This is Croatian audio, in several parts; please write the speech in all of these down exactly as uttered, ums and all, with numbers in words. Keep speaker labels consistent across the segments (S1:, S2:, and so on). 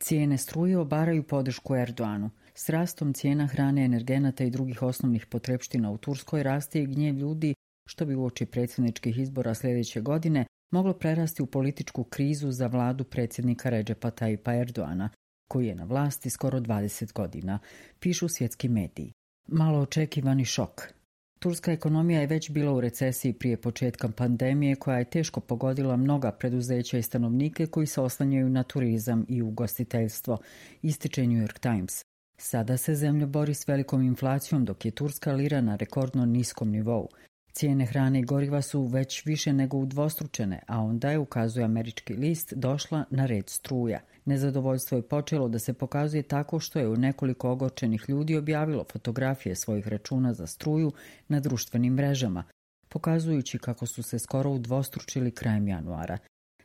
S1: Cijene struje obaraju podršku Erdoanu. S rastom cijena hrane, energenata i drugih osnovnih potrepština u Turskoj raste i gnjev ljudi, što bi uoči predsjedničkih izbora sljedeće godine moglo prerasti u političku krizu za vladu predsjednika Redžepa Tajipa Erdoana, koji je na vlasti skoro dvadeset godina, pišu svjetski mediji. Malo očekivani šok. Turska ekonomija je već bila u recesiji prije početka pandemije, koja je teško pogodila mnoga preduzeća i stanovnike koji se oslanjaju na turizam i ugostiteljstvo, ističe New York Times. Sada se zemlja bori s velikom inflacijom, dok je turska lira na rekordno niskom nivou. Cijene hrane i goriva su već više nego udvostručene, a onda je, ukazuje američki list, došla na red struja. Nezadovoljstvo je počelo da se pokazuje tako što je u nekoliko ogorčenih ljudi objavilo fotografije svojih računa za struju na društvenim mrežama, pokazujući kako su se skoro udvostručili krajem januara.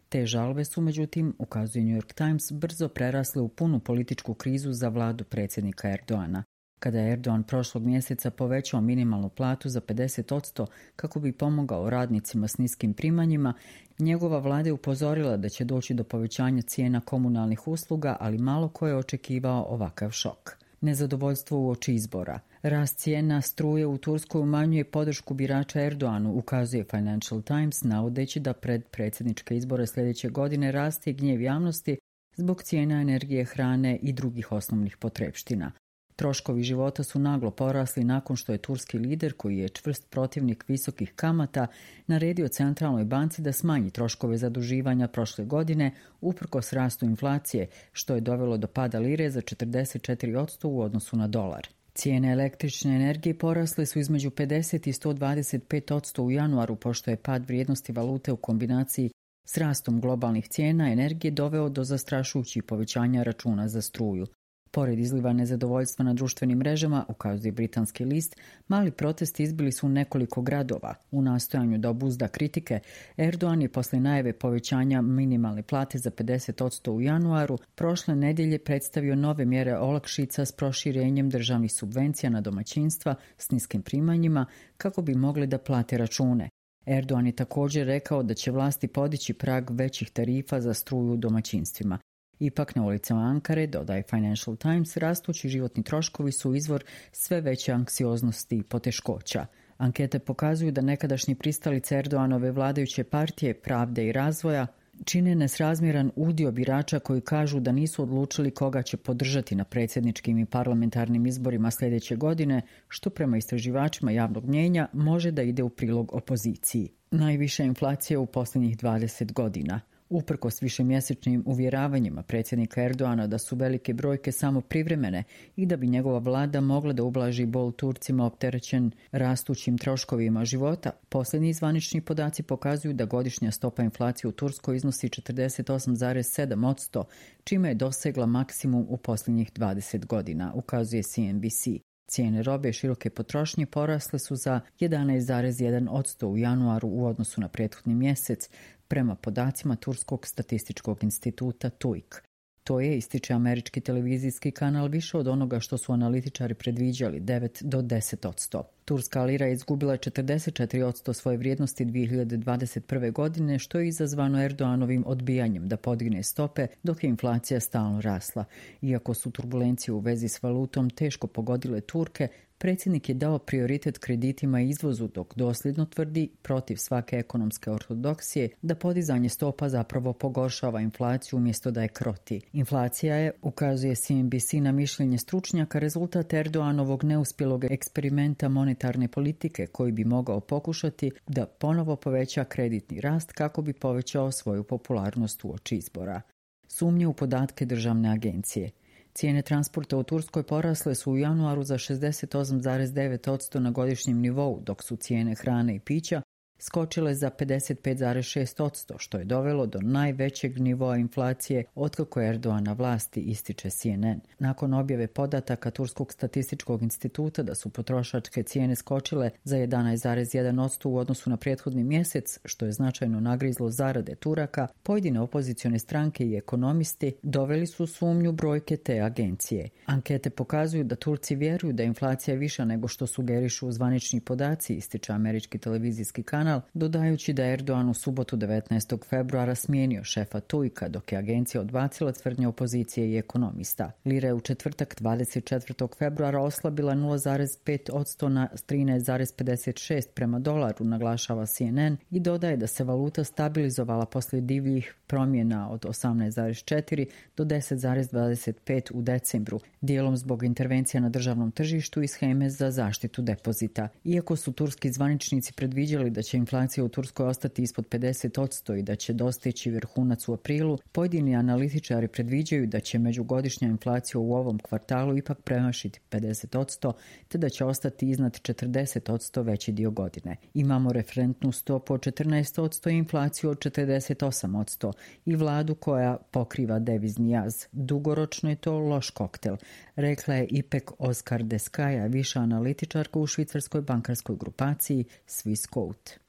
S1: Te žalbe su, međutim, ukazuje New York Times, brzo prerasle u punu političku krizu za vladu predsjednika Erdoana. Kada je Erdogan prošlog mjeseca povećao minimalnu platu za pedeset posto kako bi pomogao radnicima s niskim primanjima, njegova vlada je upozorila da će doći do povećanja cijena komunalnih usluga, ali malo ko je očekivao ovakav šok. Nezadovoljstvo uoči izbora. Rast cijena struje u Turskoj umanjuje podršku birača Erdoanu, ukazuje Financial Times, navodeći da pred predsjedničke izbore sljedeće godine raste gnjev javnosti zbog cijena energije, hrane i drugih osnovnih potrepština. Troškovi života su naglo porasli nakon što je turski lider, koji je čvrst protivnik visokih kamata, naredio centralnoj banci da smanji troškove zaduživanja prošle godine uprkos rastu inflacije, što je dovelo do pada lire za četrdeset četiri posto u odnosu na dolar. Cijene električne energije porasle su između pedeset i sto dvadeset pet posto u januaru, pošto je pad vrijednosti valute u kombinaciji s rastom globalnih cijena energije doveo do zastrašujućih povećanja računa za struju. Pored izliva nezadovoljstva na društvenim mrežama, ukazuje britanski list, mali protesti izbili su u nekoliko gradova. U nastojanju da obuzda kritike, Erdogan je posle najave povećanja minimalne plate za pedeset posto u januaru prošle nedjelje predstavio nove mjere olakšica s proširenjem državnih subvencija na domaćinstva s niskim primanjima kako bi mogli da plate račune. Erdogan je također rekao da će vlasti podići prag većih tarifa za struju u domaćinstvima. Ipak na ulicama Ankare, dodaje Financial Times, rastući životni troškovi su izvor sve veće anksioznosti i poteškoća. Ankete pokazuju da nekadašnji pristalice Erdoganove vladajuće partije Pravde i razvoja čine nesrazmjeran udio birača koji kažu da nisu odlučili koga će podržati na predsjedničkim i parlamentarnim izborima sljedeće godine, što prema istraživačima javnog mnijenja može da ide u prilog opoziciji. Najviša inflacija u posljednjih dvadeset godina. Uprkos višemjesečnim uvjeravanjima predsjednika Erdoana da su velike brojke samo privremene i da bi njegova vlada mogla da ublaži bol Turcima opterećen rastućim troškovima života, posljednji zvanični podaci pokazuju da godišnja stopa inflacije u Turskoj iznosi četrdeset osam zarez sedam posto, čime je dosegla maksimum u posljednjih dvadeset godina, ukazuje C N B C. Cijene robe široke potrošnje porasle su za jedanaest zarez jedan posto u januaru u odnosu na prethodni mjesec, prema podacima Turskog statističkog instituta T U I K. To je, ističe američki televizijski kanal, više od onoga što su analitičari predviđali, devet do deset posto. Turska lira je izgubila četrdeset četiri posto svoje vrijednosti dvije hiljade dvadeset prve godine, što je izazvano Erdoganovim odbijanjem da podigne stope dok je inflacija stalno rasla. Iako su turbulencije u vezi s valutom teško pogodile Turke, predsjednik je dao prioritet kreditima i izvozu, dok dosljedno tvrdi, protiv svake ekonomske ortodoksije, da podizanje stopa zapravo pogoršava inflaciju umjesto da je kroti. Inflacija je, ukazuje C N B C na mišljenje stručnjaka, rezultat Erdoganovog neuspjelog eksperimenta monetarne politike koji bi mogao pokušati da ponovo poveća kreditni rast kako bi povećao svoju popularnost uoči izbora. Sumnje u podatke državne agencije. Cijene transporta u Turskoj porasle su u januaru za šezdeset osam zarez devet posto na godišnjem nivou, dok su cijene hrane i pića skočile za pedeset pet zarez šest posto, što je dovelo do najvećeg nivoa inflacije otkako je Erdogan na vlasti, ističe C N N. Nakon objave podataka Turskog statističkog instituta da su potrošačke cijene skočile za jedanaest zarez jedan posto u odnosu na prethodni mjesec, što je značajno nagrizlo zarade Turaka, pojedine opozicione stranke i ekonomisti doveli su sumnju brojke te agencije. Ankete pokazuju da Turci vjeruju da je inflacija viša nego što sugerišu zvanični podaci, ističe američki televizijski kanal, kanal, dodajući da je Erdogan u subotu devetnaestog februara smijenio šefa Tujka, dok je agencija odbacila tvrdnje opozicije i ekonomista. Lira je u četvrtak dvadeset četvrtog februara oslabila nula zarez pet posto na trinaest zarez pedeset šest prema dolaru, naglašava C N N, i dodaje da se valuta stabilizovala poslije divljih promjena od osamnaest zarez četiri do deset zarez dvadeset pet u decembru, dijelom zbog intervencija na državnom tržištu i sheme za zaštitu depozita. Iako su turski zvaničnici predviđali da će inflacija u Turskoj ostati ispod pedeset posto i da će dostići vrhunac u aprilu, pojedini analitičari predviđaju da će međugodišnja inflacija u ovom kvartalu ipak premašiti pedeset posto, te da će ostati iznad četrdeset posto veći dio godine. Imamo referentnu stopu od četrnaest posto i inflaciju od četrdeset osam posto i vladu koja pokriva devizni jaz. Dugoročno je to loš koktel, rekla je Ipek Oskardeskaja, viša analitičarka u švicarskoj bankarskoj grupaciji Swissquote.